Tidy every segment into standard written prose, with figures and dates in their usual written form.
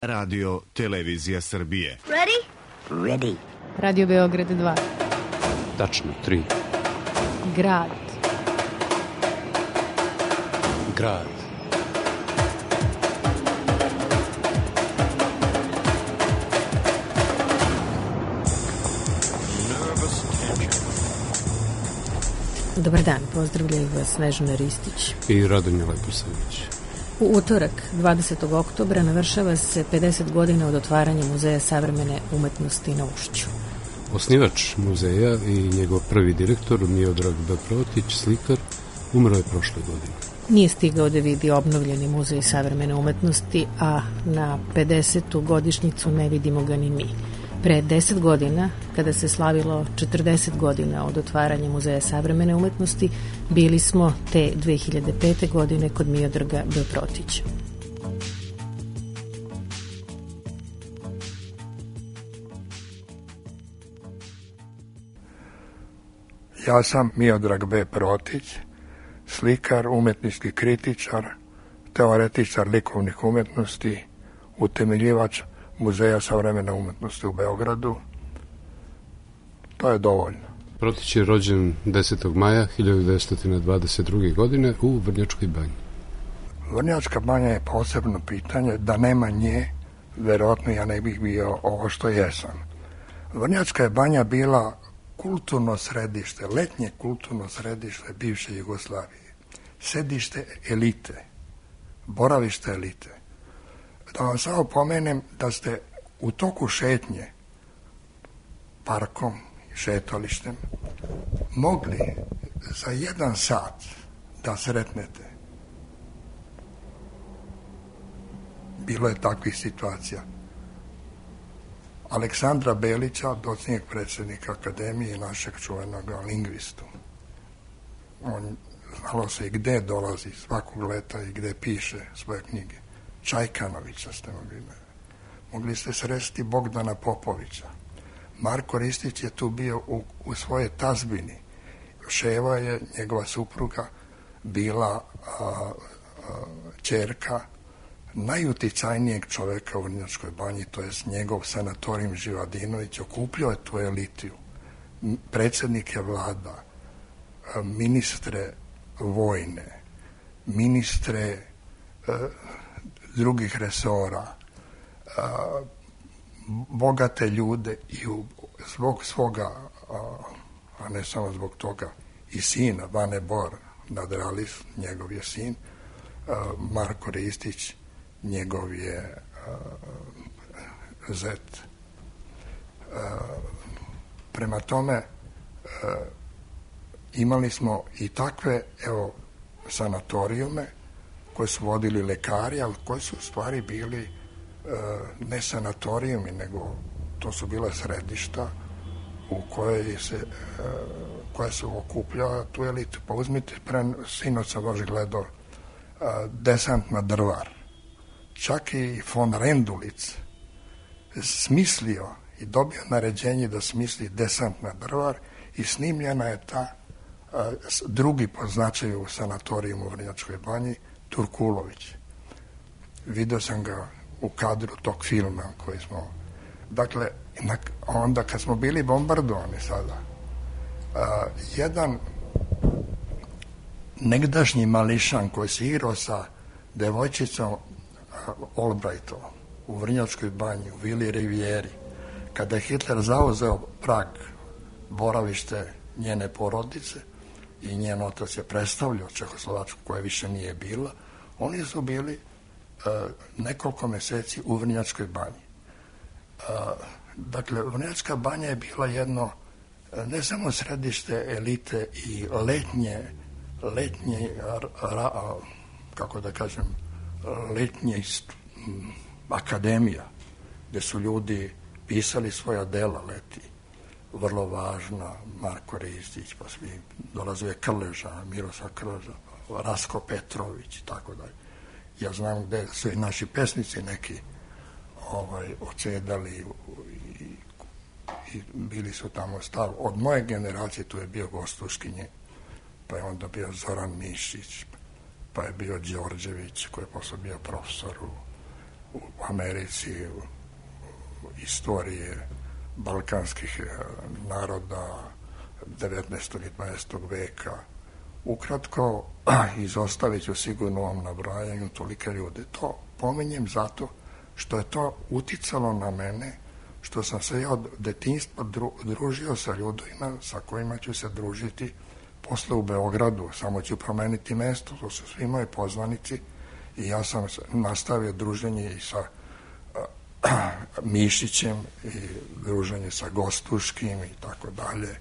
Radio Televizija Srbije. Ready? Ready. Radio Beograd 2. Tačno 3. Grad. Grad. Dobar dan, pozdravljaju vas Snežana Ristić I Radomir Leposavić. U utorak, 20. oktobra, navršava se 50 godina od otvaranja Muzeja savremene umetnosti na Ušću. Osnivač muzeja i njegov prvi direktor, Miodrag B. Protić, slikar, umro je prošle godine. Nije stigao da vidi obnovljeni Muzej savremene umetnosti, a na 50. godišnjicu ne vidimo ga ni mi. Pre 10 godina, kada se slavilo 40 godina od otvaranja Muzeja savremene umetnosti, bili smo te 2005. godine kod Miodraga B. Protića. Ja sam Miodrag B. Protić, slikar, umetnički kritičar, teoretičar likovnih umetnosti, utemeljivač Muzeja savremene umetnosti u Beogradu. To je dovoljno. Protić je rođen 10. maja 1922. godine u Vrnjačkoj banji. Vrnjačka banja je posebno pitanje, da nema nje, verovatno ja ne bih bio ovo što jesam. Vrnjačka je banja bila kulturno središte, letnje kulturno središte bivše Jugoslavije. Sedište elite, boravište elite. Da vam samo pomenem da ste u toku šetnje parkom i šetalištem mogli za 1 sat da sretnete. Bilo je takvih situacija. Aleksandra Belića, docenjeg predsjednika Akademije i našeg čuvenog lingvistu. On znalo se i gde dolazi svakog leta i gde piše svoje knjige. Čajkanovića ste mogli ste sresti Bogdana Popovića. Marko Ristić je tu bio u svojoj tazbini. Ševa je, njegova supruga, bila ćerka najuticajnijeg čoveka u Vrnjačkoj banji, to je njegov Sanatorijum Živadinović, okupljao je tu elitiju. Predsjednike vlada, ministre vojne, ministre drugih resora, bogate ljude i zbog svoga, a ne samo zbog toga, i sina, Vane Bor Nadralis, njegov je sin, Marko Ristić, njegov je zet. Prema tome, imali smo i takve, sanatorijume koje su vodili lekari, ali koji su u stvari bili ne sanatorijumi, nego to su bila središta u koja su okupljala tu elitu. Pa uzmite, sinoć sam baš gledao Desant na Drvar. Čak i von Rendulic smislio i dobio naređenje da smisli Desant na Drvar i snimljena je ta drugi po značaju u sanatorijumu u Vrnjačkoj banji, Turkulović. Vidio sam ga u kadru tog filma koji smo... Dakle, onda kad smo bili bombardovani sada, jedan negdašnji mališan koji se igrao sa devojčicom Albrightom u Vrnjačkoj banji, u Vili Rivijeri, kada je Hitler zauzeo Prag, boravište njene porodice, i njen otac je predstavljao Čehoslovačku koja više nije bila, oni su bili nekoliko meseci u Vrnjačkoj banji. Dakle, Vrnjačka banja je bila jedno ne samo središte elite i letnje kako da kažem, letnje akademija, gde su ljudi pisali svoja dela leti. Vrlo važna, Marko Ristić, pa svi dolazuje Krleža, Miroslav Krleža, Rasko Petrović i tako dalje. Ja znam gde su i naši pesnici neki ocedali i bili su tamo stav. Od moje generacije tu je bio Gostuškinje, pa je onda bio Zoran Mišić, pa je bio Đorđević koji je posle bio profesor u Americi, u istorije balkanskih naroda 19. i 20. veka. Ukratko, izostavit ću sigurno ovom nabrajanju tolike ljude. To pominjem zato što je to uticalo na mene, što sam se ja od detinjstva družio sa ljudima sa kojima ću se družiti posle u Beogradu. Samo ću promeniti mesto, to su svi moji poznanici i ja sam nastavio druženje i sa Mišićem i druženje sa Gostuškim i tako dalje.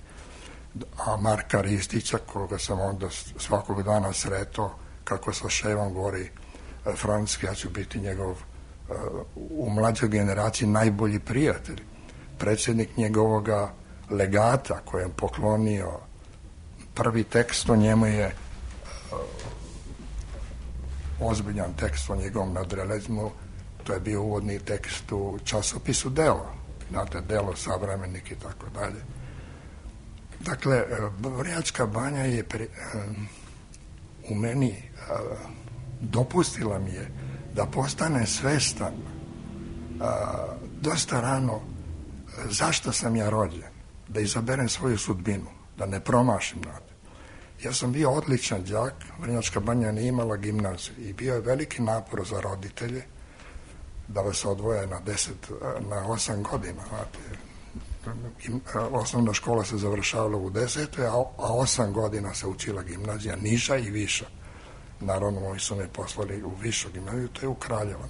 A Marka Ristića, koga sam onda svakog dana sretao, kako sa ševom govori francuski, ja ću biti njegov u mlađoj generaciji najbolji prijatelj. Predsjednik njegovoga legata kojem poklonio prvi tekst o njemu je ozbiljan tekst o njegovom nadrealizmu. To je bio uvodni tekst u časopisu Delo. Znate, Delo, Savremenik i tako dalje. Dakle, Vrnjačka Banja je u meni dopustila mi je da postane svestan dosta rano zašto sam ja rođen, da izaberem svoju sudbinu, da ne promašim nade. Ja sam bio odličan đak, Vrnjačka Banja nije imala gimnaziju i bio je veliki napor za roditelje da vas odvoje na 8 godina. Znate, osnovna škola se završavala u 10. a 8 godina se učila gimnazija, niža i viša. Naravno, moji su me poslali u višu gimnaziju, to je u Kraljevo.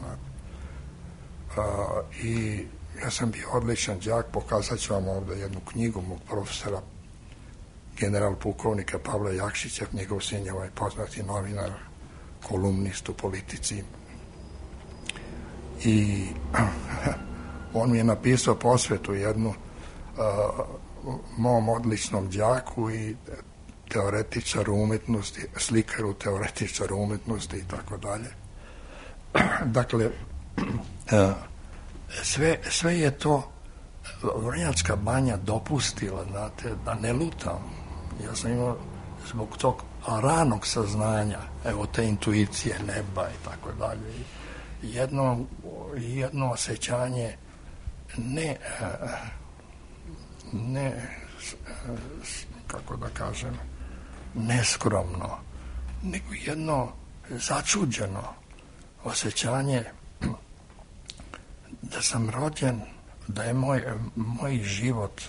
I ja sam bio odličan đak, pokazat ću vam ovdje jednu knjigu mog profesora, general pukovnika Pavla Jakšića, njegov sin je ovaj poznati novinar, kolumnist u Politici. I on mi je napisao posvetu jednu mom odličnom đaku i teoretičaru umetnosti, slikaru, teoretičaru umetnosti i tako dalje. Dakle, sve je to Vrnjačka Banja dopustila, znate, da ne lutam. Ja sam imao zbog tog ranog saznanja, evo te intuicije neba i tako dalje. Jedno osjećanje ne kako da kažem, neskromno, nego jedno začuđeno osjećanje da sam rođen, da je moj život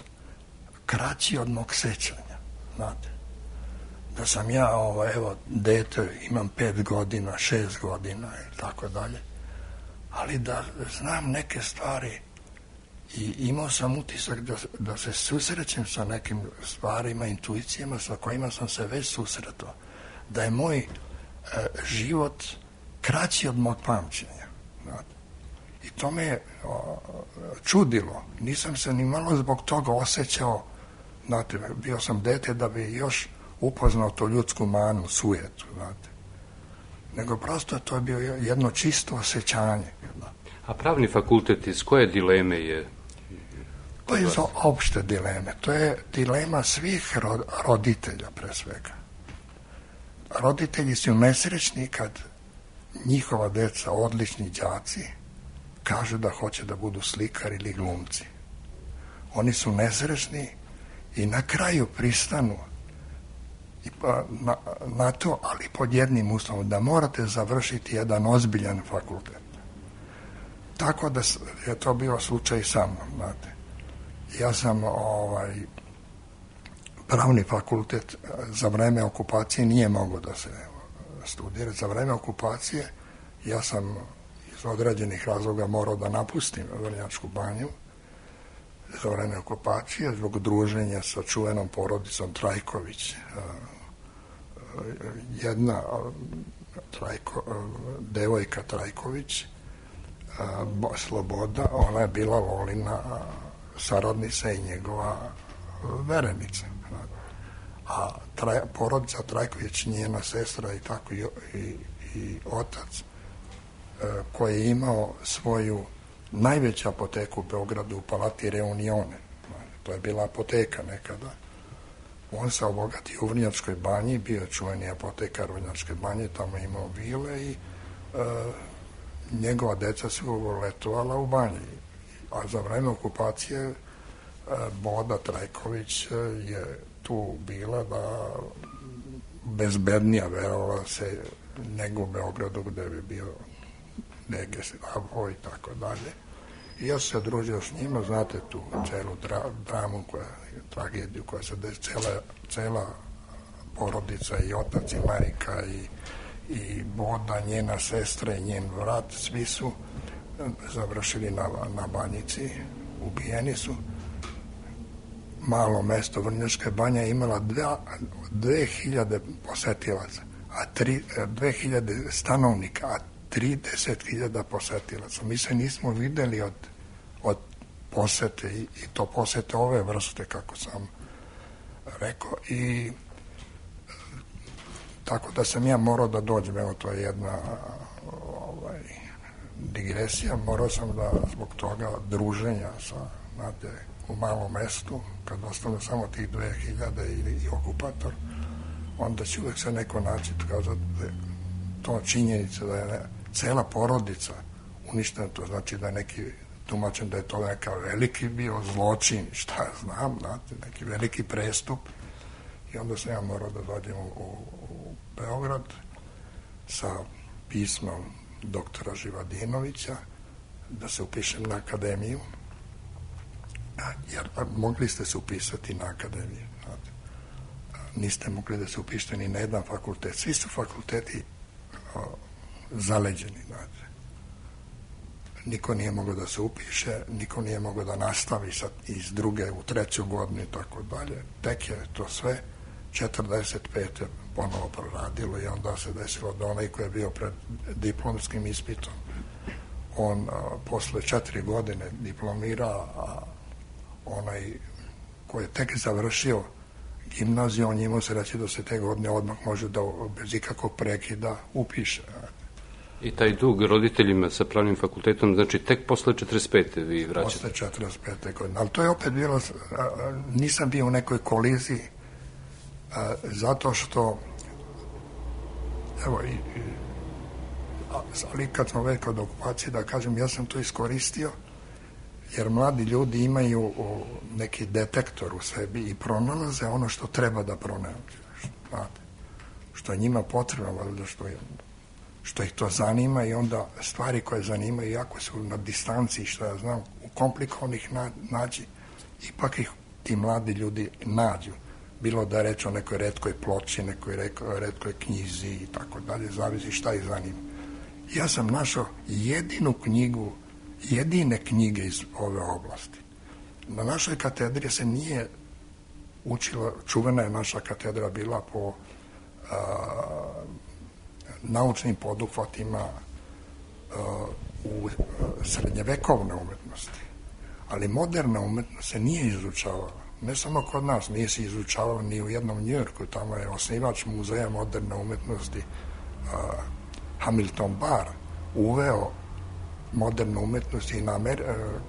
kraći od mog sećanja, znate. Da sam ja, evo, dete, imam 5 godina, 6 godina i tako dalje, ali da znam neke stvari i imao sam utisak da se susrećem sa nekim stvarima, intuicijama sa kojima sam se već susretao, da je moj život kraći od mog pamćenja, znate. I to me je čudilo. Nisam se ni malo zbog toga osjećao, znate, bio sam dete da bi još upoznao to ljudsku manu, sujetu, znate. Nego prosto to je bio jedno čisto osjećanje. A pravni fakultet iz koje dileme je? To je za opšte dileme. To je dilema svih roditelja, pre svega. Roditelji su nesrećni kad njihova deca, odlični đaci, kažu da hoće da budu slikari ili glumci. Oni su nesrećni i na kraju pristanu na to, ali pod jednim uslovom, da morate završiti jedan ozbiljan fakultet. Tako da je to bio slučaj sa mnom, znate. Ja sam pravni fakultet za vreme okupacije nije mogao da se studira. Za vreme okupacije ja sam iz određenih razloga morao da napustim Vrnjačku Banju za vreme okupacije zbog druženja sa čuvenom porodicom Trajković. Jedna devojka Trajković, Sloboda, ona je bila Lolina saradnica i njegova verenica. A porodica Trajković, njena sestra i tako i otac, koji je imao svoju najveću apoteku u Beogradu u Palati Reunione. To je bila apoteka nekada. On se obogatio u Vrnjačkoj Banji, bio je čuveni apotekar Vrnjačke Banje, tamo je imao vile i njegova deca su letovala u banji, a za vreme okupacije Boda Trajković je tu bila da bezbednija, verovala se, nego u Beogradu gde bi bio Negesavo i tako dalje. I ja sam se družio s njima, znate tu celu dramu, tragediju koja se cela porodica i otac i majka i Boda, njena sestra i njen brat, svi su završili na Banjici, ubijeni su. Malo mesto Vrnjačka Banja je imala 2000 posetilaca, 2000 stanovnika, a 30.000 posetilaca. Mi se nismo videli od posete i to posete ove vrste, kako sam rekao, i tako da sam ja morao da dođem, evo to je jedna digresija, morao sam da zbog toga druženja sa, znate, u malom mestu, kad ostalo samo tih 2000 i okupator, onda će uvek se neko naći, kao da to činjenica da je cela porodica uništena, to znači da je neki tumačen da je to neka veliki bio zločin, šta ja znam, znate, neki veliki prestup. I onda sam ja morao da dođem u Beograd sa pismom doktora Živadinovića da se upišem na akademiju, jer mogli ste se upisati na akademiju, znate. Niste mogli da se upišete ni na jedan fakultet. Svi su fakulteti zaleđeni, znate. Niko nije mogao da se upiše, niko nije mogao da nastavi iz druge u treću godinu i tako dalje. Tek je to sve 45. ponovo proradilo i onda se desilo da onaj koji je bio pred diplomskim ispitom, on posle 4 godine diplomira, a onaj koji je tek završio gimnaziju, on njima se reći da se te godine odmah može da bez ikakvog prekida upiše. I taj dug roditeljima sa pravnim fakultetom, znači tek posle 45. vi vraćate? Posle 45. godine, ali to je opet bilo, nisam bio u nekoj koliziji, zato što, evo, ali kad smo već kod okupacije, da kažem, ja sam to iskoristio, jer mladi ljudi imaju neki detektor u sebi i pronalaze ono što treba da pronađu, znate, što je njima potrebno, valjda što ih to zanima, i onda stvari koje zanimaju, jako su na distanci, što ja znam, u komplikovanih nađi, ipak ih ti mladi ljudi nađu. Bilo da je reč o nekoj retkoj ploči, nekoj retkoj knjizi i tako dalje, zavisi šta ih zanima. Ja sam našao jedine knjige iz ove oblasti. Na našoj katedri se nije učila, čuvena je naša katedra bila po naučnim poduhvatima u srednjevekovne umetnosti, ali moderna umetnost se nije izučavala. Ne samo kod nas, nije se izučavala ni u jednom Njujorku, tamo je osnivač muzeja moderne umetnosti Hamilton Barr uveo modernu umetnost i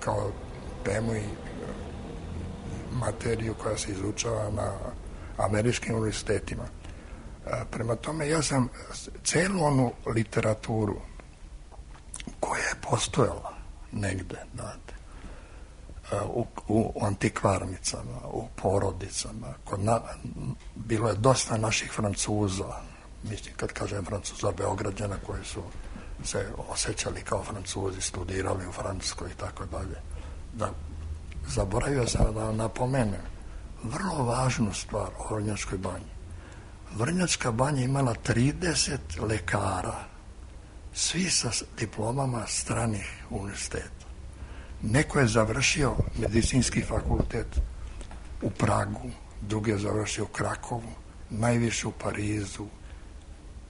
kao temu i materiju koja se izučava na američkim univerzitetima. Prema tome, ja sam celu onu literaturu koja je postojala negde, znate, u antikvarnicama, u porodicama, bilo je dosta naših Francuza, mislim, kad kažem Francuza, Beograđana koji su se osjećali kao Francuzi, studirali u Francuskoj i tako dalje. Da, zaboravio sam da napomenem vrlo važnu stvar o Vrnjačkoj banji. Vrnjačka banja imala 30 lekara, svi sa diplomama stranih univerziteta. Neko je završio medicinski fakultet u Pragu, drugi je završio u Krakovu, najviše u Parizu,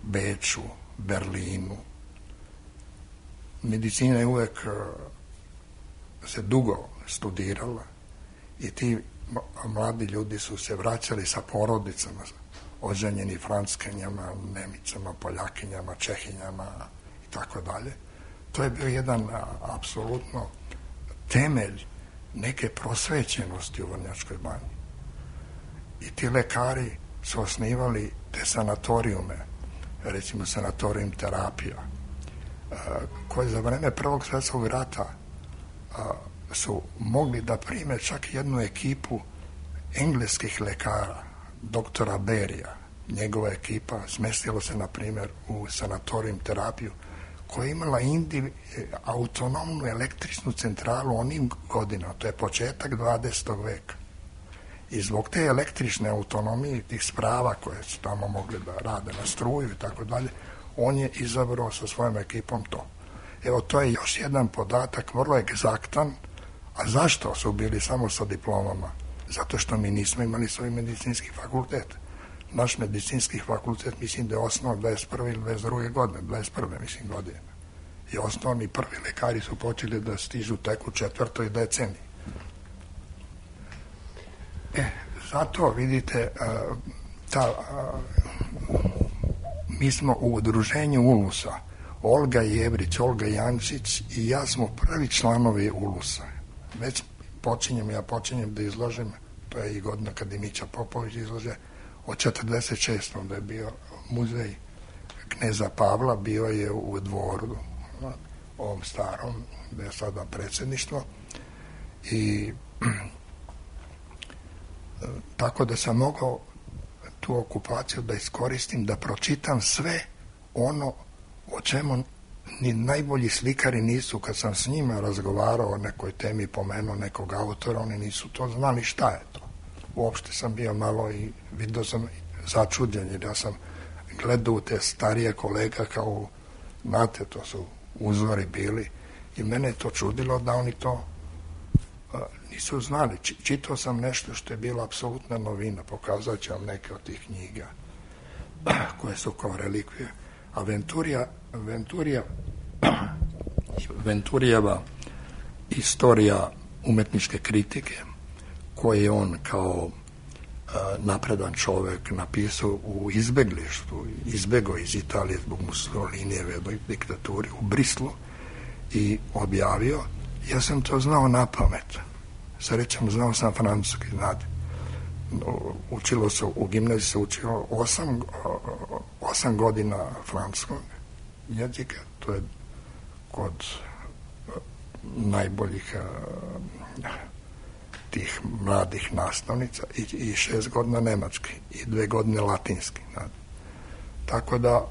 Beču, Berlinu. Medicina je uvek se dugo studirala i ti mladi ljudi su se vraćali sa porodicama, oženjeni Francuskinjama, Nemicama, Poljakinjama, Čehinjama i tako dalje. To je bio jedan apsolutno temelj neke prosvećenosti u Vrnjačkoj banji. I ti lekari su osnivali te sanatorijume, recimo sanatorijum terapija, koji za vreme Prvog svjetskog rata su mogli da prime čak jednu ekipu engleskih lekara, doktora Berija. Njegova ekipa smestila se, na primjer, u sanatorijum terapiju, koja je imala autonomnu električnu centralu onim godinama, to je početak 20. veka. I zbog te električne autonomije, tih sprava koje su tamo mogli da rade na struju i tako dalje, on je izabrao sa svojom ekipom to. Evo, to je još jedan podatak, vrlo egzaktan. A zašto su bili samo sa diplomama? Zato što mi nismo imali svoj medicinski fakultet. Naš medicinski fakultet, mislim da je osnovan 21. ili 22. godine, 21. mislim godine. I osnovni prvi lekari su počeli da stižu tek u 4. deceniji. Zato, vidite, mi smo u udruženju Ulusa, Olga Jevrić, Olga Jančić i ja smo prvi članovi Ulusa. Već počinjem da izložim, to je i godina kad i Mića Popović izlože, od 46. da je bio muzej kneza Pavla, bio je u Dvoru, ovom starom, gde je sada predsjedništvo, i tako da sam mogao tu okupaciju da iskoristim, da pročitam sve ono o čemu ni najbolji slikari nisu, kad sam s njima razgovarao o nekoj temi, pomenuo nekog autora, oni nisu to znali šta je to. Uopšte sam bio malo i vidio sam začuđen, jer ja sam gledao u te starije kolega kao, znate, to su uzori bili, i mene je to čudilo da oni to nisu znali. Čitao sam nešto što je bila apsolutna novina, pokazat ću vam neke od tih knjiga koje su kao relikvije. A Venturijeva istorija umetničke kritike, koje je on kao napredan čovek napisao u izbeglištu, izbegao iz Italije zbog Mussolinijeve diktaturi u Brislu i objavio. Ja sam to znao na pamet. Srećom, znao sam francuski, znate. Učilo se, u gimnaziji se učilo 8 godina francuskog jezika, to je kod najboljih tih mladih nastavnica, i 6 godina nemački i 2 godine latinski. Znate. Tako da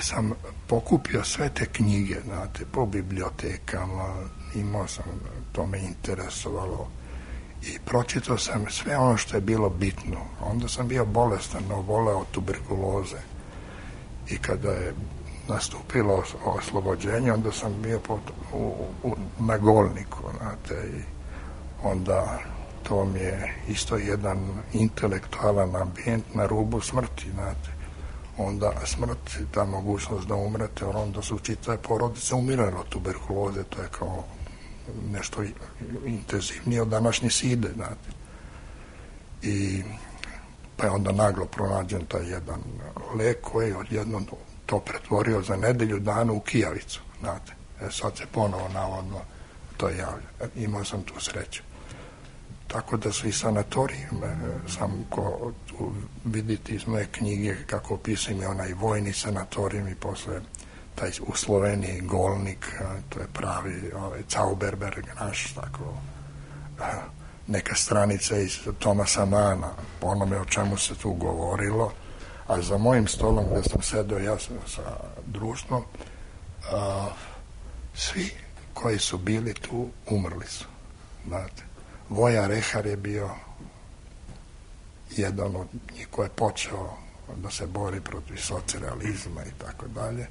sam pokupio sve te knjige, znate, po bibliotekama, imao sam, to me interesovalo, i pročitao sam sve ono što je bilo bitno. Onda sam bio bolestan, oboleo tuberkuloze, i kada je nastupilo oslobođenje, onda sam bio na Golniku, znate, i onda to mi je isto jedan intelektualan ambijent na rubu smrti, znate. Onda smrt, ta mogućnost da umrete, onda su čitave porodice umirale od tuberkuloze, to je kao nešto intenzivnije od današnje side, znate. I pa je onda naglo pronađen taj jedan lek koji je odjednom to pretvorio za nedelju dana u kijavicu, znate. Sad se ponovo navodno to javlja. Imao sam tu sreću. Tako da su i sanatoriji, sam ko vidite iz moje knjige kako opisujem je onaj vojni sanatorijum, i posle taj u Sloveniji Golnik, to je pravi Zauberberg naš, tako neka stranica iz Tomasa Mana, po onome o čemu se tu govorilo, a za mojim stolom gde sam sedeo ja sa društvom, svi koji su bili tu umrli su, znate. Voja Rehar je bio jedan od njih koji je počeo da se bori protiv socrealizma i tako dalje.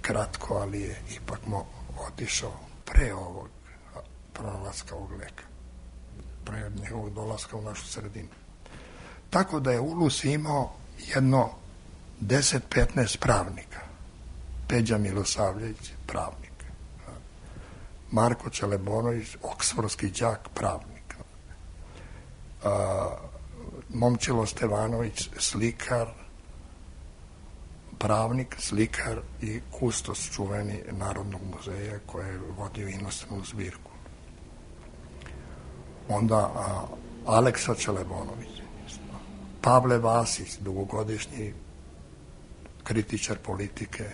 Kratko, ali je ipak otišao pre ovog pronalaska ovog leka, pre njegovog dolaska u našu sredinu. Tako da je Ulus imao jedno 10-15 pravnika. Peđa Milosavljević, pravnik. Marko Čelebonović, oksfordski đak, pravnik. Momčilo Stevanović, slikar, pravnik, slikar i kustos čuveni Narodnog muzeja koji je vodio inostranu zbirku. Onda Aleksa Čelebonović, Pavle Vasić, dugogodišnji kritičar politike,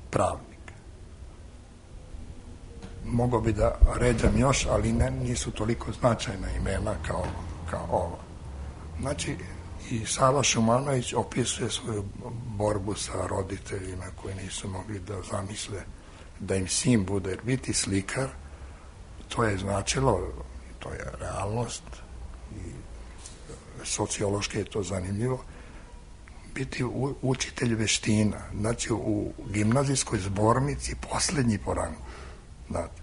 pravnik. mogao bi da ređam još, ali nisu toliko značajna imena kao ovo. Znači, i Sava Šumanović opisuje svoju borbu sa roditeljima koji nisu mogli da zamisle da im sin bude, jer biti slikar, to je značilo, to je realnost i sociološki je to zanimljivo, biti učitelj veština, znači u gimnazijskoj zbornici poslednji po rangu. Znate.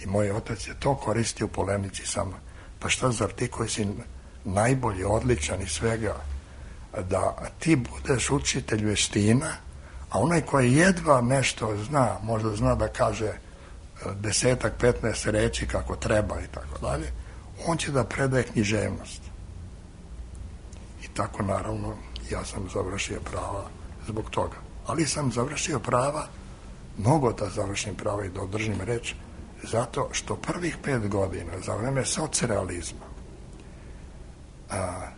I moj otac je to koristio u polemici sa mnom. Pa šta, zar ti koji si najbolji, odličan i svega, da ti budeš učitelj veština, a onaj koji jedva nešto zna, možda zna da kaže 10-15 reči kako treba i tako dalje, on će da predaje književnost. I tako, naravno, ja sam završio prava zbog toga. Ali sam završio prava, mnogo da završim prava i da održim reč, zato što prvih 5 godina, za vreme socrealizma,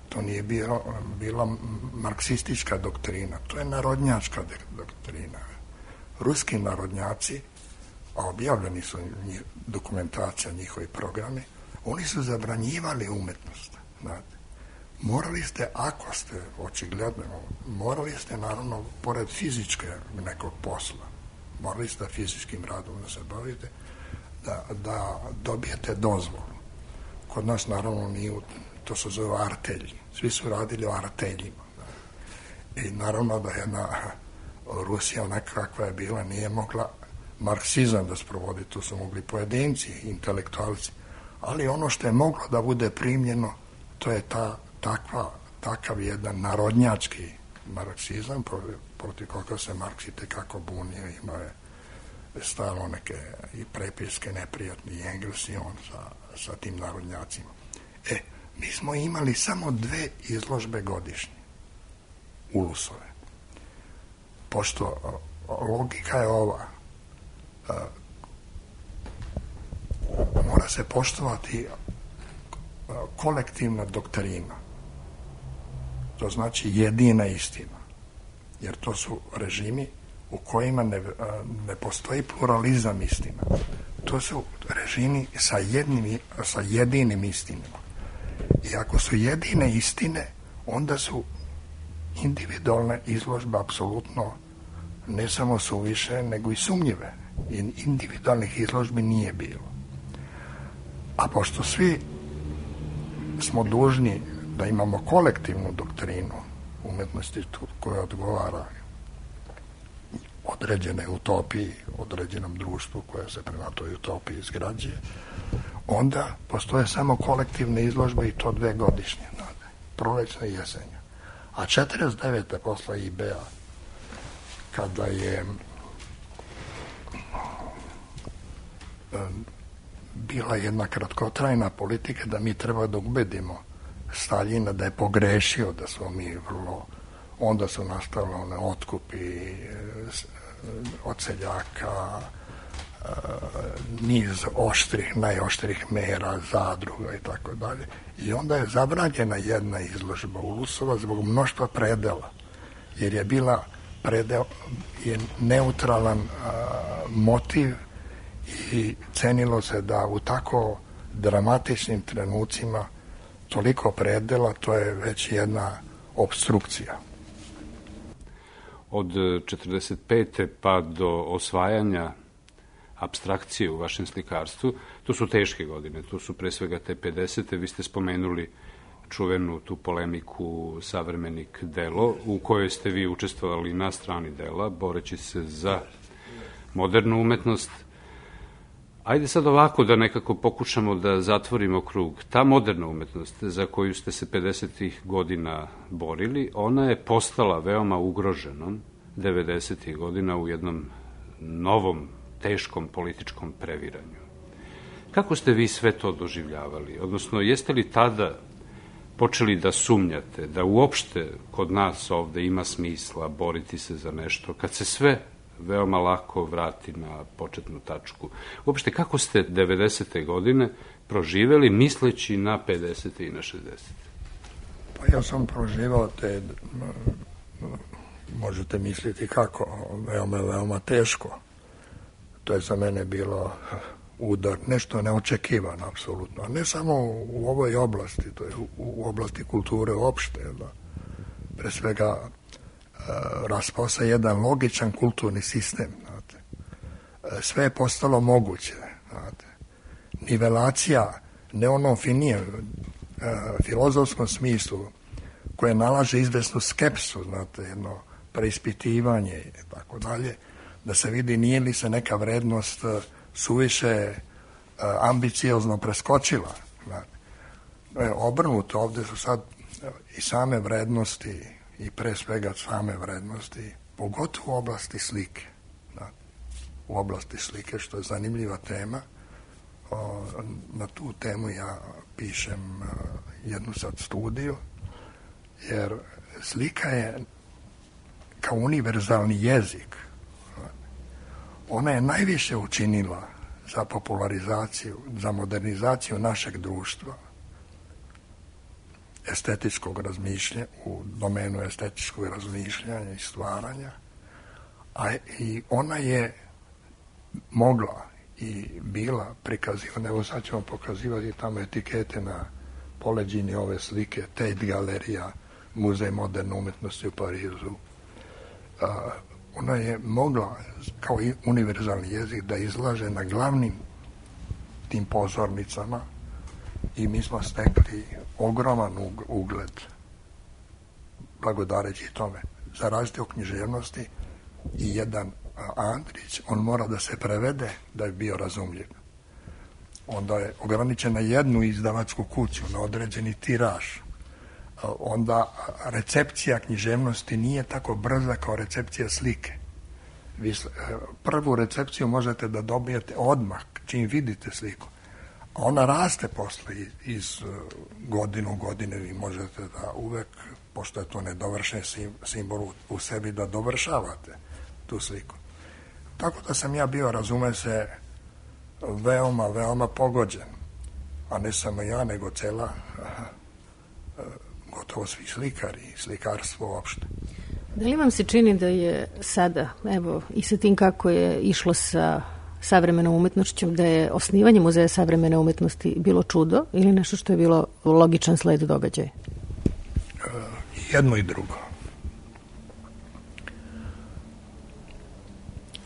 to nije bila marksistička doktrina, to je narodnjačka doktrina. Ruski narodnjaci, a objavljeni su dokumentacija, njihovi programi, oni su zabranjivali umetnost. Znate. Morali ste, ako ste očigledno, morali ste naravno, pored fizičke nekog posla, morali ste fizičkim radom da se bavite, da dobijete dozvolu. Kod nas naravno nije, to se zove artelji. Svi su radili o arteljima. I naravno da jedna Rusija nekakva je bila, nije mogla marksizam da sprovodi, tu su mogli pojedinci, intelektualci, ali ono što je moglo da bude primljeno, to je takav jedan narodnjački marksizam, protiv koga se Marks i tekako bunio, imao je stalno neke i prepiske neprijatni i Engels i on sa tim narodnjacima. Mi smo imali samo 2 izložbe godišnje ulusove. Pošto logika je ova, mora se poštovati kolektivna doktrina. To znači jedina istina. Jer to su režimi u kojima ne postoji pluralizam istina. To su režimi sa jedinim istinama. I ako su jedine istine, onda su individualne izložbe apsolutno ne samo suviše, nego i sumnjive. Individualnih izložbi nije bilo. A pošto svi smo dužni da imamo kolektivnu doktrinu umetnosti koja odgovara određene utopiji, određenom društvu koje se prema toj utopiji izgrađuje, onda postoje samo kolektivne izložbe i to 2 godišnje, prolećne i jesenja. A 49. posle IB-a, kada je bila jedna kratkotrajna politika da mi treba da ubedimo Staljina da je pogrešio, da smo mi vrlo, onda su nastale one otkupi od seljaka, niz oštrih, najoštrih mera, zadruga i tako dalje. I onda je zabranjena jedna izložba ulusova zbog mnoštva predela, jer je bila je neutralan motiv i cenilo se da u tako dramatičnim trenucima toliko predela, to je već jedna obstrukcija. Od 45. pa do osvajanja apstrakcije u vašem slikarstvu, to su teške godine, to su pre svega te 50. Vi ste spomenuli čuvenu tu polemiku Savremenik delo, u kojoj ste vi učestvovali na strani dela, boreći se za modernu umetnost. Ajde sad ovako da nekako pokušamo da zatvorimo krug. Ta moderna umetnost za koju ste se 50. godina borili, ona je postala veoma ugroženom 90. godina u jednom novom, teškom političkom previranju. Kako ste vi sve to doživljavali? Odnosno, jeste li tada počeli da sumnjate da uopšte kod nas ovde ima smisla boriti se za nešto, kad se sve veoma lako vrati na početnu tačku? Uopšte, kako ste 90. godine proživeli misleći na 50. i na 60. Pa ja sam proživao te, možete misliti kako, veoma teško. To je za mene bilo udar, nešto neočekivano, apsolutno. Ne samo u ovoj oblasti, to je u oblasti kulture uopšte. Da. Pre svega, raspao se jedan logičan kulturni sistem. Znate. Sve je postalo moguće. Znate. Nivelacija, ne onom filozofskom smislu, koje nalaže izvesnu skepsu, znate, jedno preispitivanje i tako dalje, da se vidi nije li se neka vrednost suviše ambiciozno preskočila. Obrnuto, ovde su sad i same vrednosti i pre svega same vrednosti, pogotovo u oblasti slike. U oblasti slike, što je zanimljiva tema. Na tu temu ja pišem jednu sad studiju, jer slika je kao univerzalni jezik. Ona je najviše učinila za popularizaciju, za modernizaciju našeg društva, estetičkog razmišljanja, u domenu estetičkog razmišljanja i stvaranja, a i ona je mogla i bila prikazivana. Evo sad ćemo pokazivati tamo etikete na poleđini ove slike, Tate galerija, Muzej moderne umetnosti u Parizu. Ona je mogla, kao i univerzalni jezik, da izlaže na glavnim tim pozornicama i mi smo stekli ogroman ugled blagodareći tome. Za različite u književnosti i jedan Andrić, on mora da se prevede da je bio razumljiv. Onda je ograničen na jednu izdavačku kuću, na određeni tiraž. Onda recepcija književnosti nije tako brza kao recepcija slike. Vi prvu recepciju možete da dobijete odmah čim vidite sliku. A ona raste posle iz godine u godine. Vi možete da uvek, pošto je to nedovršen simbol u sebi, da dovršavate tu sliku. Tako da sam ja bio, razume se, veoma, veoma pogođen. A ne samo ja, nego cela, gotovo svi slikari, slikarstvo uopšte. Da li vam se čini da je sada, evo, i sa tim kako je išlo sa savremenom umetnošću, da je osnivanje Muzeja savremene umetnosti bilo čudo ili nešto što je bilo logičan sled događaja? Jedno i drugo.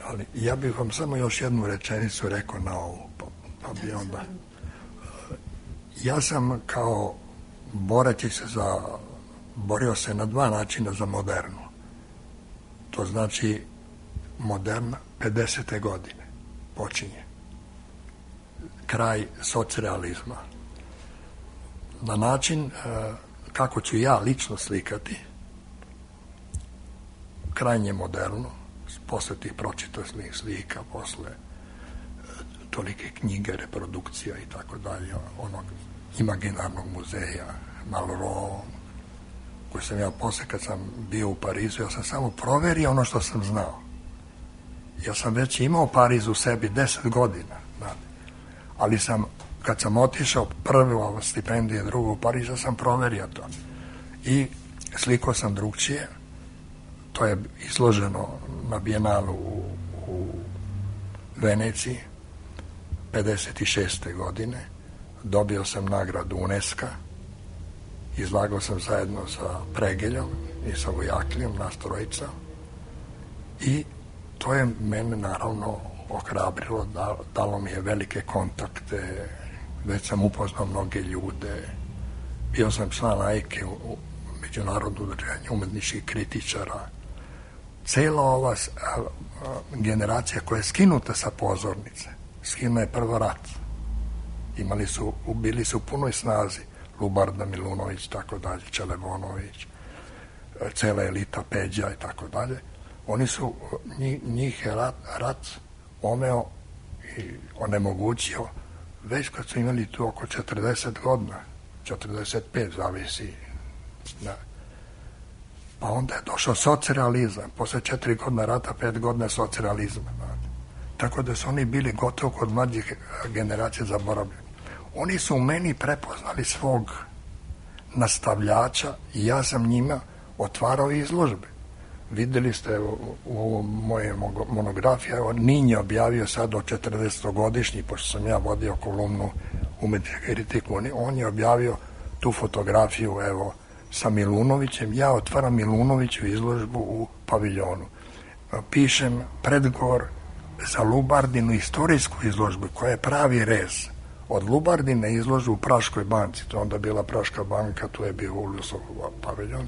Ali ja bih vam samo još jednu rečenicu rekao na ovu, pa bi onda... Ja sam kao boreći se borio se na dva načina za modernu. To znači moderna 50. godine počinje. Kraj socrealizma. Na način kako ću ja lično slikati, krajnje moderno, posle tih pročitosnih slika, posle tolike knjige, reprodukcija i tako dalje, onog imaginarnog muzeja, Malraux, koji sam ja posle, kad sam bio u Parizu, ja sam samo proverio ono što sam znao. Ja sam već imao Pariz u sebi 10 godina, ali sam, kad sam otišao prvo stipendije, drugo u Pariz, ja sam proverio to. I slikao sam drugčije. To je izloženo na Bijenalu u Veneciji 56. godine. Dobio sam nagradu UNESCO-a. Izlagao sam zajedno sa Pregeljom i sa Vojaklijom, nas trojica. I to je mene naravno ohrabrilo, dalo mi je velike kontakte, već sam upoznao mnoge ljude. Bio sam član AIKE, u Međunarodno udruženje umetničkih kritičara. Cela ova generacija koja je skinuta sa pozornice, skinuo je prvo rat. Bili su u punoj snazi Lubarda Milunović, tako dalje, Čelevonović, cela elita Peđa i tako dalje. Oni su, njih je rat omeo i onemogućio već kad su imali tu oko 40 godina, 45 zavisi. Pa onda je došao socrealizam, posle 4 godina rata, 5 godina socrealizma. Tako da su oni bili gotovo kod mlađih generacija zaboravljeni. Oni su u meni prepoznali svog nastavljača i ja sam njima otvarao izložbe. Videli ste u ovom moje monografiji, evo Ninj je objavio sad o 40-godišnji, pošto sam ja vodio kolumnu Umetnička kritika, on je objavio tu fotografiju, evo, sa Milunovićem. Ja otvaram Milunoviću izložbu u paviljonu. Pišem predgovor za Lubardinu istorijsku izložbu, koja je pravi rez. Od Lubardine izložbu u Praškoj banci, to je onda bila Praška banka, tu je bio Uljusov paviljon.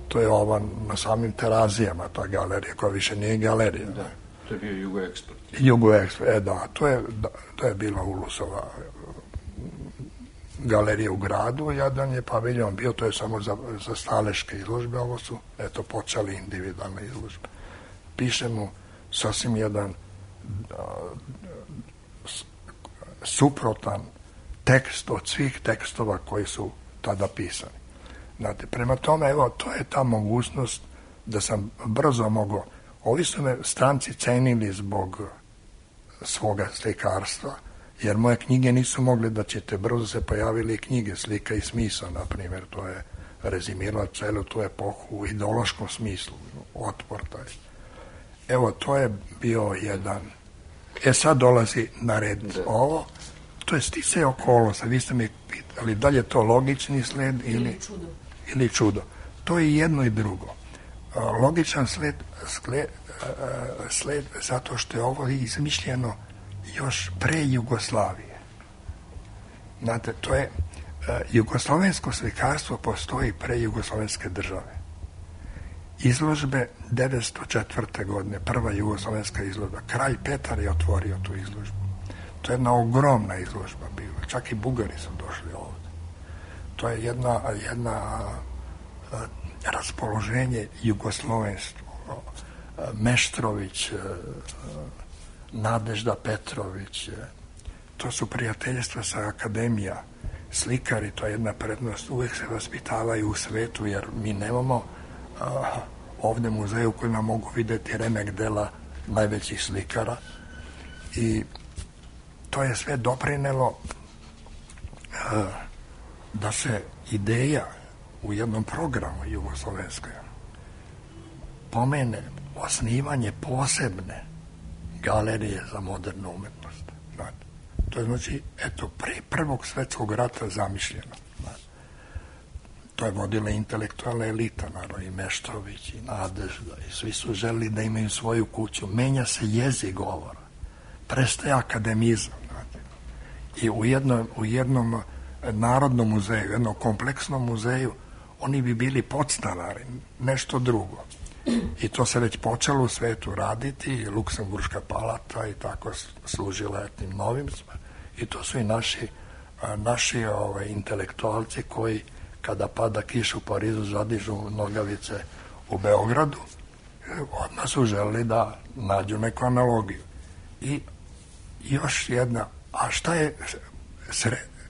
To je ova na samim Terazijama, ta galerija, koja više nije galerija. Da, to je bio Jugoeksport. Jugoeksport, da, to je bila Ulusova galerija u gradu, jedan je paviljon bio, to je samo za staleške izložbe, ovo su, eto, počeli individualne izložbe. Piše mu sasvim jedan suprotan tekst od svih tekstova koji su tada pisani. Znate, prema tome, evo, to je ta mogućnost da sam brzo mogao. Ovi su me stranci cenili zbog svoga slikarstva, jer moje knjige nisu mogli da ćete, brzo se pojavili knjige Slika i smisao, na primjer, to je rezimirala celu tu epohu u ideološkom smislu, otpor taj. Evo, to je bio jedan. Sad dolazi na red ovo, to je sticaj okolnosti, vi ste mi pitali da li je to logični sled ili čudo. To je jedno i drugo. Logičan sled zato što je ovo izmišljeno još pre Jugoslavije. Znate, to je jugoslovensko slikarstvo postoji pre jugoslovenske države. Izložbe 1904. godine, prva jugoslovenska izložba, kralj Petar je otvorio tu izložbu. To je jedna ogromna izložba bila, čak i Bugari su došli ovde. To je jedna raspoloženje jugoslovenstvo. Meštrović, Nadežda Petrović, to su prijateljstva sa akademija, slikari, to je jedna prednost, uvek se vaspitavaju u svetu, jer mi nemamo ovde muzej u kojima mogu videti remek dela najvećih slikara i to je sve doprinelo da se ideja u jednom programu jugoslovenskoj pomene osnivanje posebne galerije za modernu umetnost. Znate. To je znači, eto, pre Prvog svetskog rata zamišljeno. Znate. To je vodila intelektualna elita, naravno, i Meštrović, i Nadežda, i svi su želeli da imaju svoju kuću. Menja se jezik govora. Prestaje akademizam. Znate. I u jednom narodnom muzeju, jednom kompleksnom muzeju, oni bi bili podstanari, nešto drugo. I to se već počelo u svetu raditi, Luksemburška palata i tako služila etnim novimcima. I to su i naši intelektualci koji, kada pada kiša u Parizu, zadižu nogavice u Beogradu, odmah su želeli da nađu neku analogiju. I još jedna, a šta je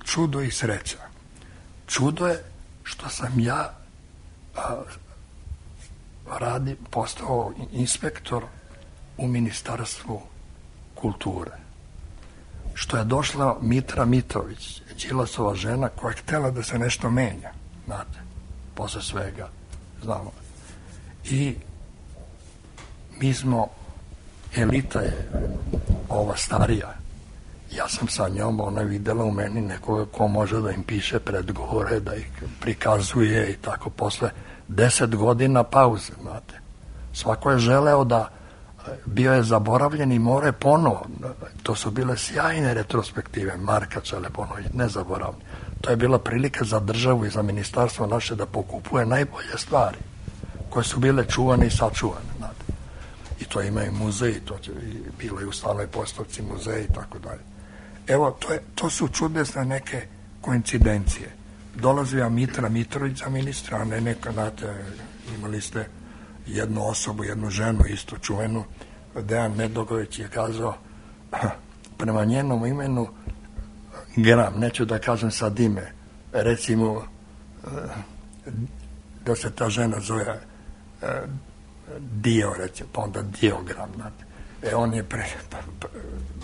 čudo i sreća? Čudo je što sam ja postao inspektor u Ministarstvu kulture. Što je došla Mitra Mitrović, Đilasova žena, koja je htela da se nešto menja, znate, posle svega, znamo. I mi smo, elita je ova starija, ja sam sa njom, ona je videla u meni nekoga ko može da im piše predgovore, da ih prikazuje i tako posle 10 godina pauze, znate. Svako je želeo da, bio je zaboravljen i more ponovo. To su bile sjajne retrospektive, Marka Čeleponović, nezaboravni. To je bila prilika za državu i za ministarstvo naše da pokupuje najbolje stvari, koje su bile čuvane i sačuvane, znate. I to imaju muzeji, to će bilo i u stalnoj postavci muzeji i tako dalje. Evo, to su čudesne neke koincidencije. Dolazio Mitra Mitrović za ministra, a ne neka, znate, imali ste jednu osobu, jednu ženu isto čuvenu, Dejan Medogović je kazao prema njenom imenu Gram, neću da kažem sad ime, recimo da se ta žena zove Dio, recimo, pa onda Diogram, znate. On je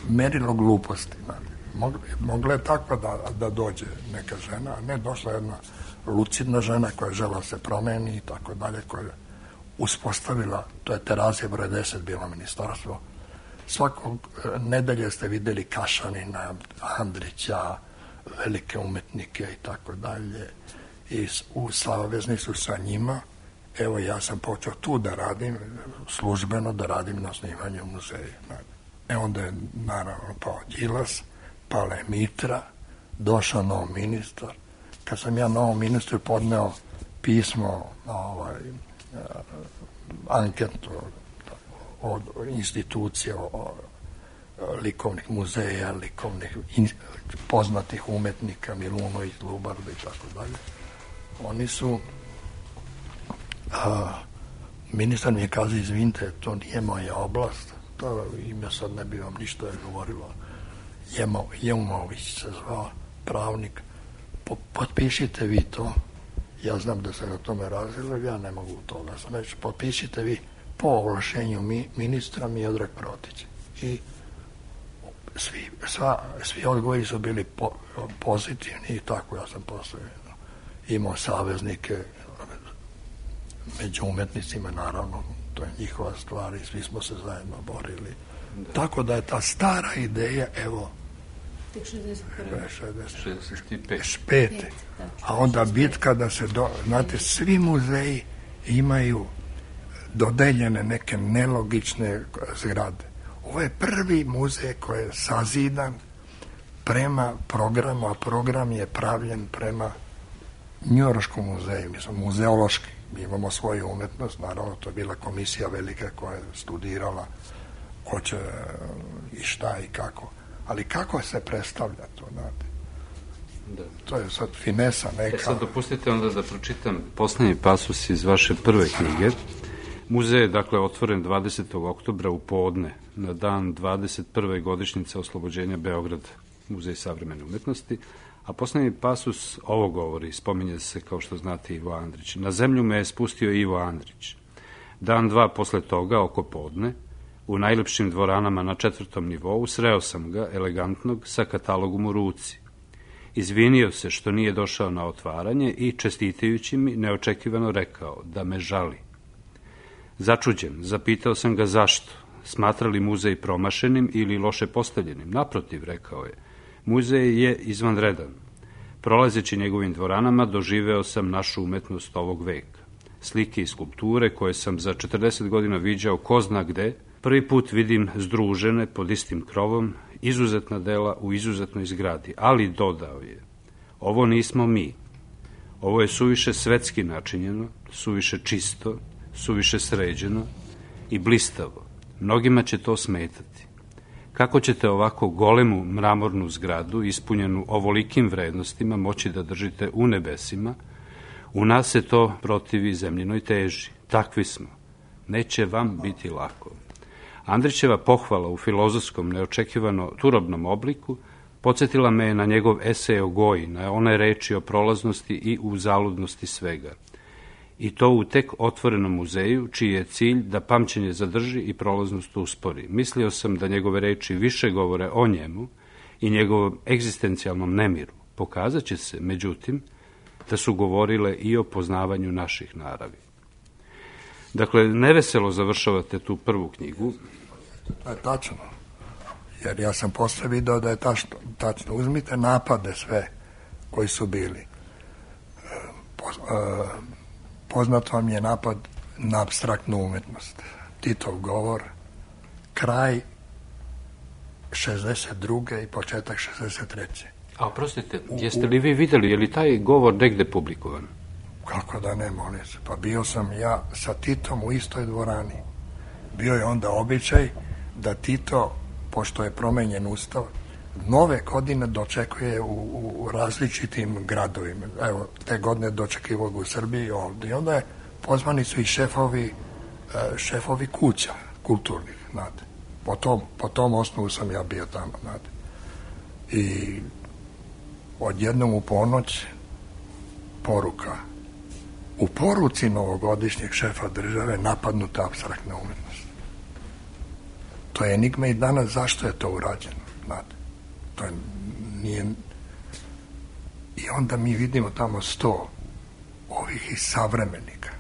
merilo gluposti, znate. Mogla je takva da dođe neka žena, a ne došla jedna lucidna žena koja je žela se promeni i tako dalje, koja je uspostavila, to je Terazija broj 10 bilo ministarstvo, svakog nedelje ste vidjeli Kašanina, Andrića, velike umetnike i tako dalje, i u savezni su sa njima. Evo, ja sam počeo tu da radim, službeno da radim na snimanju muzeja. Onda je naravno pao Đilas, pala je Mitra, došao nov ministar. Kad sam ja novom ministru podneo pismo, anketu od institucija, likovnih muzeja, likovnih poznatih umetnika, Milunović, Lubarda i tako dalje, oni su ministar mi je kazao, izvinite, to nije moja oblast, to ime sad ne bi vam ništa govorilo. Jeumović se zvao, pravnik, potpišite vi to, ja znam da se na tome razvilo, ja ne mogu to da sam reći, potpišite vi po ovlašenju ministra Miodrag Protić. I svi odgovori su bili pozitivni i tako ja sam posle imao saveznike među umetnicima, naravno, to je njihova stvar i svi smo se zajedno borili. Da. Tako da je ta stara ideja, evo, 65. A onda bitka da se, znate, svi muzeji imaju dodeljene neke nelogične zgrade. Ovo je prvi muzej koji je sazidan prema programu, a program je pravljen prema Njujorškom muzeju, mislim, muzeološki. Mi imamo svoju umetnost, naravno, to je bila komisija velika koja je studirala ko će i šta i kako. Ali kako se predstavlja to, znate? Da. To je sad finesa neka. Sad dopustite onda da pročitam poslednji pasus iz vaše prve knjige. Muzej je, dakle, otvoren 20. oktobra u podne, na dan 21. godišnjice oslobođenja Beograda, Muzej savremene umetnosti, a poslednji pasus ovo govori, spominje se, kao što znate, Ivo Andrić. Na zemlju me je spustio Ivo Andrić. Dan, dva posle toga, oko podne, u najlepšim dvoranama na 4. nivou, sreo sam ga, elegantnog, sa katalogom u ruci. Izvinio se što nije došao na otvaranje i, čestitajući mi, neočekivano rekao da me žali. Začuđen, zapitao sam ga zašto. Smatra li muzej promašenim ili loše postavljenim? Naprotiv, rekao je. Muzej je izvanredan. Prolazeći njegovim dvoranama, doživeo sam našu umetnost ovog veka. Slike i skulpture koje sam za 40 godina viđao ko zna gde, prvi put vidim združene pod istim krovom, izuzetna dela u izuzetnoj zgradi, ali dodao je, ovo nismo mi. Ovo je suviše svetski načinjeno, suviše čisto, suviše sređeno i blistavo. Mnogima će to smetati. Kako ćete ovako golemu mramornu zgradu, ispunjenu ovolikim vrednostima, moći da držite u nebesima? U nas se to protivi zemljinoj teži. Takvi smo. Neće vam biti lako. Andrićeva pohvala u filozofskom, neočekivano turobnom obliku podsjetila me je na njegov esej o Goji, na one reči o prolaznosti i uzaludnosti svega. I to u tek otvorenom muzeju, čiji je cilj da pamćenje zadrži i prolaznost uspori. Mislio sam da njegove reči više govore o njemu i njegovom egzistencijalnom nemiru. Pokazat će se, međutim, da su govorile i o poznavanju naših naravi. Dakle, neveselo završavate tu prvu knjigu. To je tačno, jer ja sam posle video da je tačno. Uzmite napade sve koji su bili. Poznat vam je napad na apstraktnu umetnost. Titov govor, kraj 62. i početak 63. A oprostite, jeste li vi videli, je li taj govor negde publikovan? Kako da ne, molim se. Pa bio sam ja sa Titom u istoj dvorani. Bio je onda običaj da Tito, pošto je promenjen ustav, nove godine dočekuje u različitim gradovima. Evo, te godine dočekivao ga u Srbiji ovde. I onda pozvani su i šefovi kuća kulturnih, znate. Po tom osnovu sam ja bio tamo, znate. I odjednom u ponoć poruka. U poruci novogodišnjeg šefa države napadnuta apstraktna umetnost. To je enigma i danas zašto je to urađeno, znate. To nije... I onda mi vidimo tamo 100 ovih iz savremenika.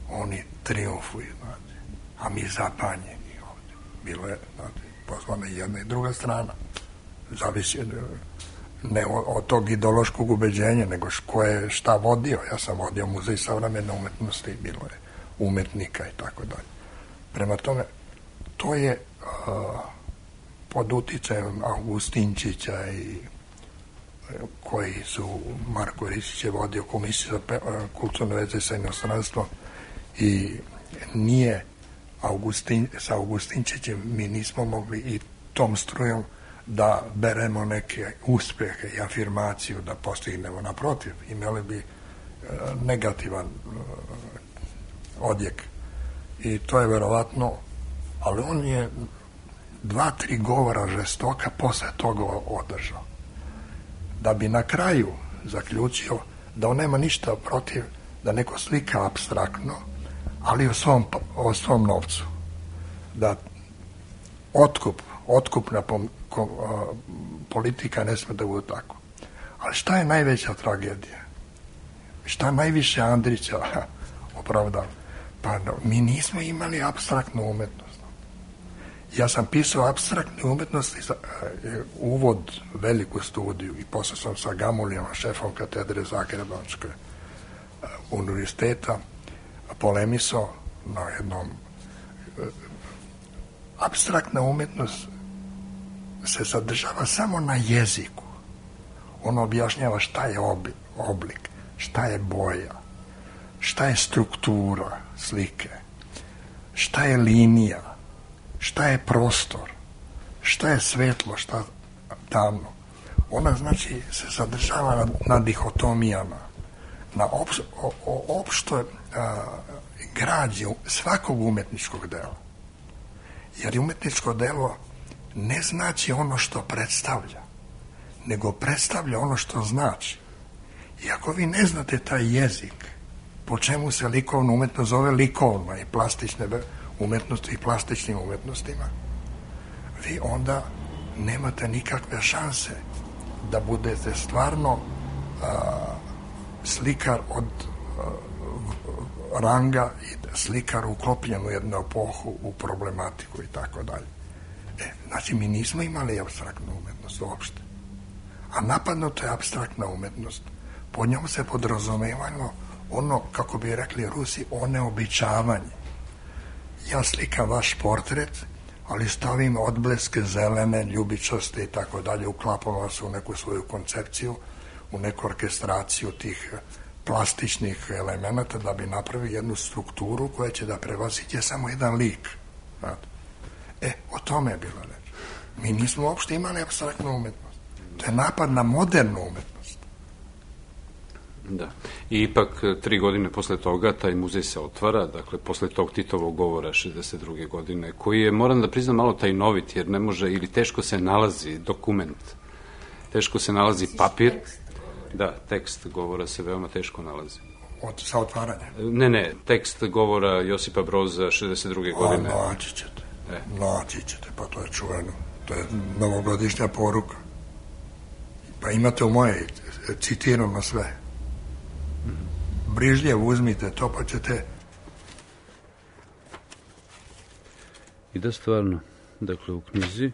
oni triumfuju, znate, a mi zapanjeni ovde. Bilo je, znate, pozvana jedna i druga strana. Zavisi ne od tog ideološkog ubeđenja, nego ko je šta vodio. Ja sam vodio Muzej savremene umetnosti, bilo je umetnika i tako dalje. Prema tome, to je pod uticajem Augustinčića i koji su, Marko Ristić je vodio komisiju za kulturne veze sa inostranstvom i nije sa Augustinčićem mi nismo mogli i tom strujom da beremo neke uspehe i afirmaciju da postignemo. Naprotiv, imali bi negativan odjek. I to je verovatno, ali on je 2-3 govora žestoka posle toga održao. Da bi na kraju zaključio da on nema ništa protiv da neko slika apstraktno, ali o svom novcu. Da otkupna politika ne sme da bude tako. Ali šta je najveća tragedija? Šta najviše Andrića opravdava? Pa mi nismo imali apstraktnu umetnost. Ja sam pisao apstraktne umetnosti, uvod, veliku studiju i posle sam sa Gamulijom, šefom katedre Zagrebačkog univerziteta, polemisao na jednom. Apstraktna umetnost se zadržava samo na jeziku. Ono objašnjava šta je oblik, šta je boja, šta je struktura slike, šta je linija, šta je prostor, šta je svetlo, šta tamno. Ona znači se zadržava na dihotomijama, na opštoj građi svakog umetničkog dela. Jer umetničko delo ne znači ono što predstavlja, nego predstavlja ono što znači. I ako vi ne znate taj jezik, po čemu se likovna umetnost zove likovna i plastične umetnosti i plastičnim umetnostima, vi onda nemate nikakve šanse da budete stvarno slikar od ranga i slikar uklopljen u jednu epohu, u problematiku i tako dalje. Znači, mi nismo imali apstraktnu umetnost uopšte. A napadnuta je apstraktna umetnost. Pod njom se podrazumevalo ono, kako bi rekli Rusi, oneobičavanje. Ja slikam vaš portret, ali stavim odbleske zelene, ljubičaste i tako dalje, uklapam vas u neku svoju koncepciju, u neku orkestraciju tih plastičnih elemenata da bi napravili jednu strukturu koja će da prevaziđe samo jedan lik. O tome je bila reč. Mi nismo uopšte imali apstraktnu umetnost. To je napad na modernu umetnost. Da. I ipak 3 godine posle toga taj muzej se otvara, dakle posle tog Titovog govora 62. godine, koji je, moram da priznam, malo tajnovit, jer ne može, ili teško se nalazi dokument, teško se nalazi papir. Da, tekst govora se veoma teško nalazi. Sa otvaranja? Ne, tekst govora Josipa Broza 62. godine. Naći ćete, pa to je čuveno. To je novogodišnja poruka. Pa imate u moje, citirano sve. Brižljevo uzmite to, pa ćete... I da stvarno, dakle u knjizi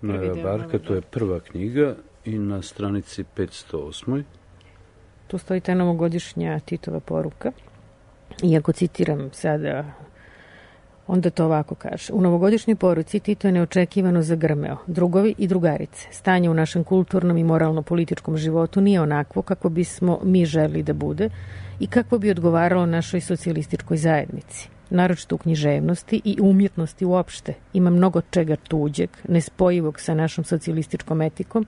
Noeva Barka, to je prva knjiga, i na stranici 508. Tu stoji ta novogodišnja Titova poruka. Iako citiram sada, onda to ovako kaže. U novogodišnjoj poruci Tito je neočekivano zagrmeo. Drugovi i drugarice. Stanje u našem kulturnom i moralno-političkom životu nije onakvo kako bismo mi želeli da bude i kako bi odgovaralo našoj socijalističkoj zajednici. Naročito u književnosti i umjetnosti uopšte. Ima mnogo čega tuđeg, nespojivog sa našom socijalističkom etikom,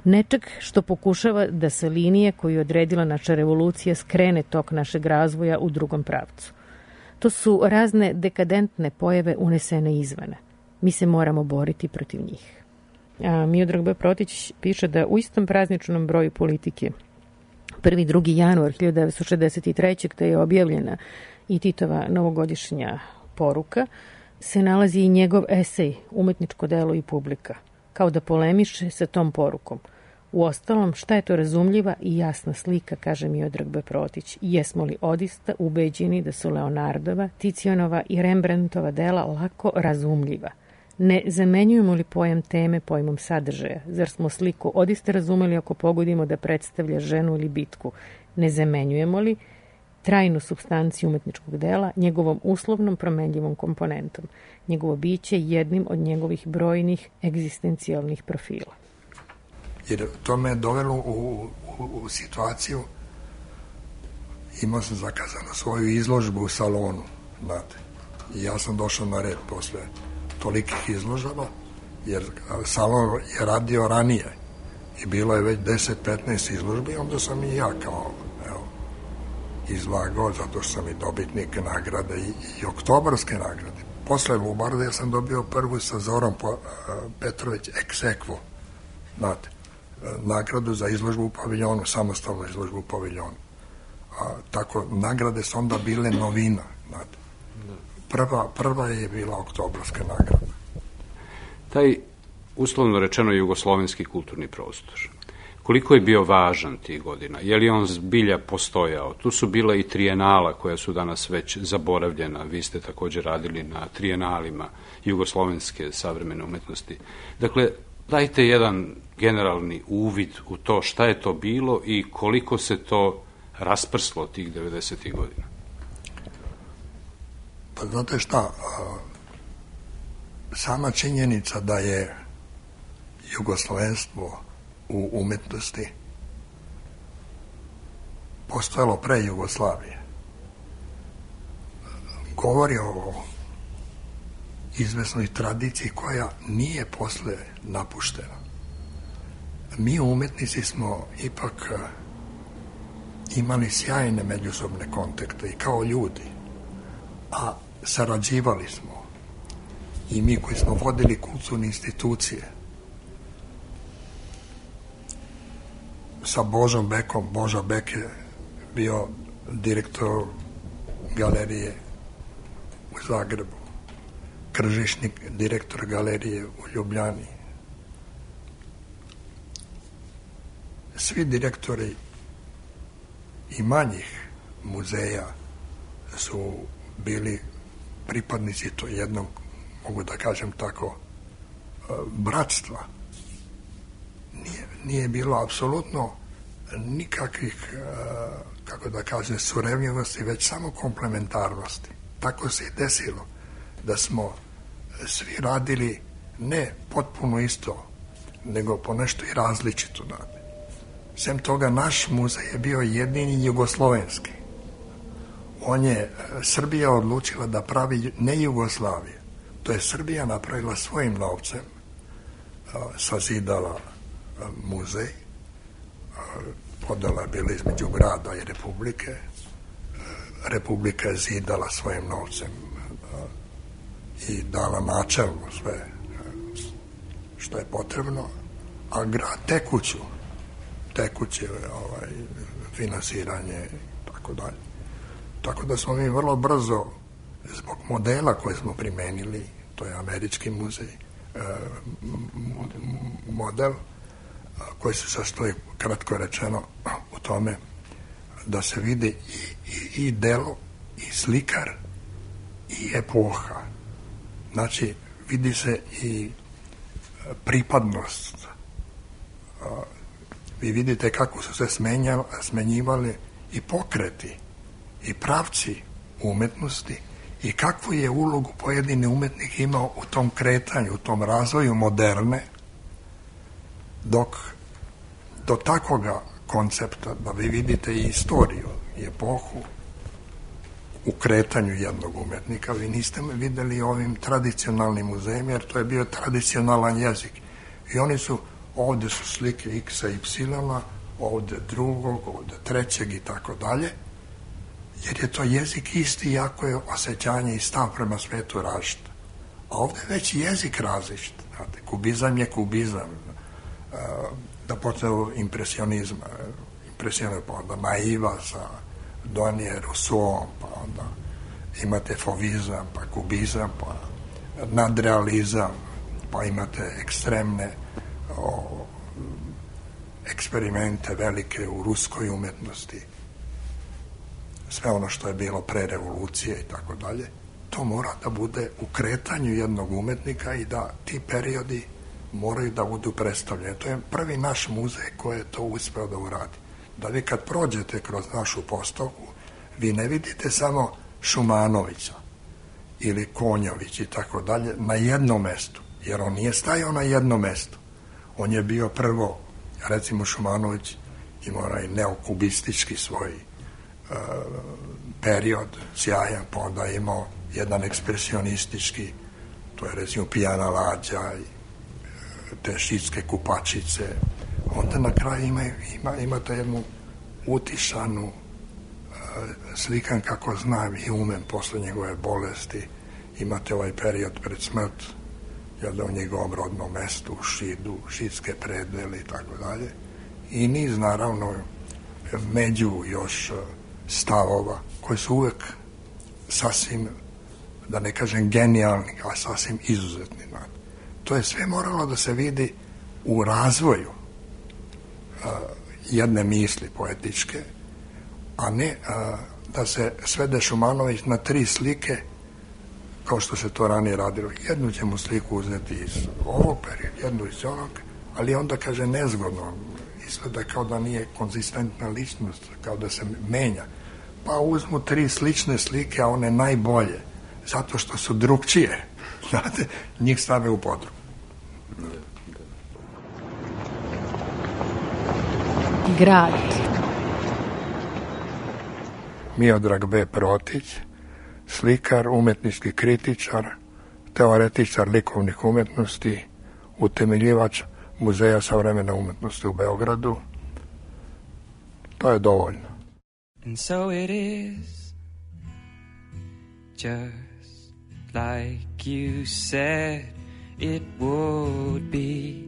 nečeg što pokušava da sa linije koju je odredila naša revolucija skrene tok našeg razvoja u drugom pravcu. To su razne dekadentne pojave unesene izvana. Mi se moramo boriti protiv njih. Miodrag B. Protić piše da u istom prazničnom broju Politike 1. 2. januar 1963. kada je objavljena i Titova novogodišnja poruka, se nalazi i njegov esej Umetničko delo i publika, kao da polemiše sa tom porukom. Uostalom, šta je to razumljiva i jasna slika, kaže Miodrag B. Protić. Jesmo li odista ubeđeni da su Leonardova, Ticionova i Rembrandtova dela lako razumljiva? Ne zamenjujemo li pojam teme pojmom sadržaja? Zar smo sliku odista razumeli ako pogodimo da predstavlja ženu ili bitku? Ne zamenjujemo li trajnu supstanciju umetničkog dela njegovom uslovnom promenljivom komponentom, njegovo biće jednim od njegovih brojnih egzistencijalnih profila? Jer to me je dovelo u situaciju, imao sam zakazano svoju izložbu u salonu, znate, i ja sam došao na red posle tolikih izložaba, jer salon je radio ranije i bilo je već 10-15 izložbi, onda sam i ja kao izlagao, zato što sam i dobitnik nagrade i oktobarske nagrade. Posle Lubarde ja sam dobio prvu sa Zorom Petrović ex aequo, znate, nagradu za izložbu u paviljonu, samostalnu izložbu u paviljonu. Tako, nagrade su onda bile novina, znate. Prva je bila oktobarska nagrada. Taj, uslovno rečeno, jugoslovenski kulturni prostor, koliko je bio važan tih godina? Je li on zbilja postojao? Tu su bila i trijenala koja su danas već zaboravljena. Vi ste također radili na trijenalima jugoslovenske savremene umetnosti. Dakle, dajte jedan generalni uvid u to šta je to bilo i koliko se to rasprslo tih 90. godina. Pa znate šta, sama činjenica da je jugoslovenstvo u umetnosti postojalo pre Jugoslavije govori o izvesnoj tradiciji koja nije posle napuštena. Mi umetnici smo ipak imali sjajne međusobne kontakte i kao ljudi, a sarađivali smo i mi koji smo vodili kulturne institucije sa Božom Bekom. Boža Bek je bio direktor galerije u Zagrebu, Kržišnik direktor galerije u Ljubljani. Svi direktori i manjih muzeja su bili pripadnici to jednog, mogu da kažem tako, bratstva. Nije bilo apsolutno nikakvih, kako da kažem, surevljivosti, već samo komplementarnosti. Tako se i desilo da smo svi radili ne potpuno isto, nego po nešto i različito. Sem toga, naš muzej je bio jedini jugoslovenski. Srbija odlučila da pravi ne Jugoslavije. To je Srbija napravila svojim novcem, sazidala muzej, podela je bila između grada i Republike. Republika je zidala svojim novcem i dala načelno sve što je potrebno, a grad tekuće finansiranje i tako dalje. Tako da smo mi vrlo brzo, zbog modela koje smo primenili, to je američki muzej, model koji se sastoji, kratko rečeno, u tome da se vidi i delo, i slikar, i epoha. Znači, vidi se i pripadnost. Vi vidite kako su se smenjivali i pokreti, i pravci umetnosti, i kakvu je ulogu pojedini umetnik imao u tom kretanju, u tom razvoju moderne, dok do takvoga koncepta, da vi vidite i istoriju, i epohu u kretanju jednog umetnika, vi niste videli ovim tradicionalnim muzejima, jer to je bio tradicionalan jezik. I oni su, ovde su slike X-a i Y-a, ovde drugog, ovde trećeg i tako dalje, jer je to jezik isti, jako je osjećanje i stav prema svetu različit. A ovde je već jezik različit. Znate, kubizam je kubizam. Da počne impresionizma, pa onda Maiva sa Donije Rousseau, pa onda imate fovizam, pa kubizam, pa nadrealizam, pa imate ekstremne eksperimente velike u ruskoj umetnosti, sve ono što je bilo pre revolucije i tako dalje, to mora da bude u kretanju jednog umetnika i da ti periodi moraju da budu predstavljeni. To je prvi naš muzej koji je to uspeo da uradi. Da vi kad prođete kroz našu postavku, vi ne vidite samo Šumanovića ili Konjović i tako dalje na jednom mestu, jer on nije stajao na jednom mestu. On je bio prvo, recimo Šumanović imao onaj neokubistički svoj period, sjajan, pa onda imao jedan ekspresionistički, to je recimo Pijana lađa i te šitske kupačice. Onda na kraju imate jednu utišanu slikan kako znam i umem posle njegove bolesti. Imate ovaj period pred smrt, u njegovom rodnom mestu, u Šidu, šitske predvele i tako dalje. I niz, naravno, među još stavova koji su uvek sasvim, da ne kažem genijalni, a sasvim izuzetni. To je sve moralo da se vidi u razvoju jedne misli poetičke, a ne da se svede Šumanović na 3 slike, kao što se to ranije radilo. Jednu ćemo sliku uzeti iz ovog perioda, jednu iz onog, ali onda kaže nezgodno, izgleda kao da nije konzistentna ličnost, kao da se menja. Pa uzmu 3 slične slike, a one najbolje, zato što su drugčije, znate, njih stave u podrum. Grad. Miodrag B. Protić, slikar, umetnički kritičar, teoretičar likovnih umetnosti, utemeljivač Muzeja savremene umetnosti u Beogradu. To je dovoljno. And so it is, just like you said it would be.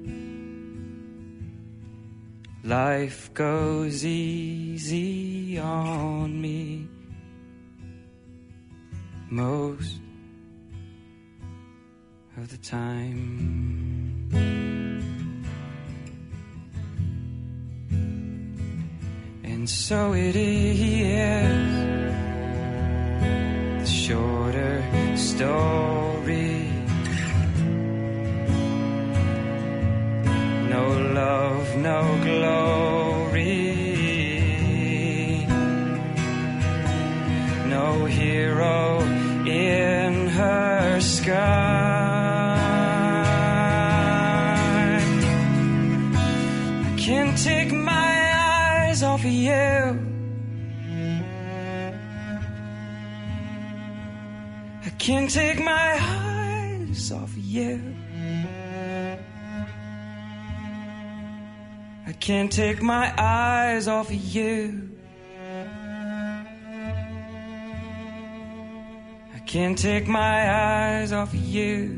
Life goes easy on me most of the time. And so it is, the shorter story. No love, no glory, no hero in her sky. I can't take my eyes off of you. I can't take my eyes off of you. I can't take my eyes off of you. I can't take my eyes off of you.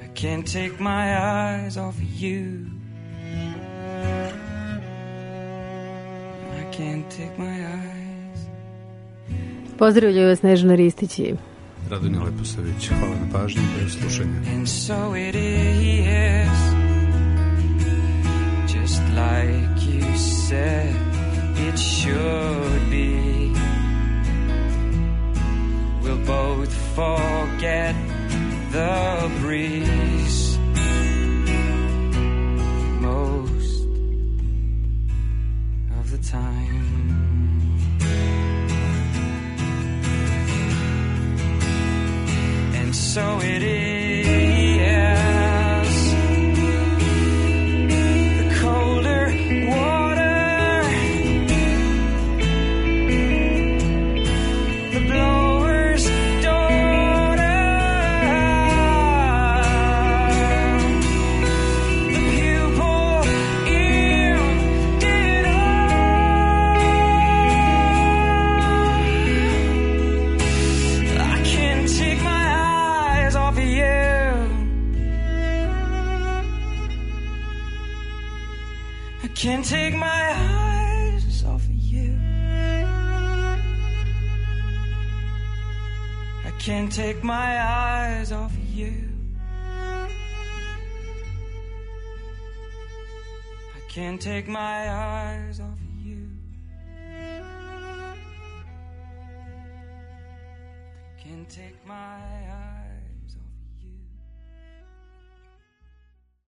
I can't take my eyes off of you. I can't take my eyes. Pozdravljaju vas Snežana Ristić i Radonja Leposavić. Hvala na pažnji i do slušanja. And so it is, just like you said it should be. We'll both forget the breeze most of the time. So it is, the colder water, the blower's daughter, the pupil emptied I can't take my off of you. I can't take my eyes off of you. I can't take my eyes off of you. Can't take my eyes off of you. Can't take my eyes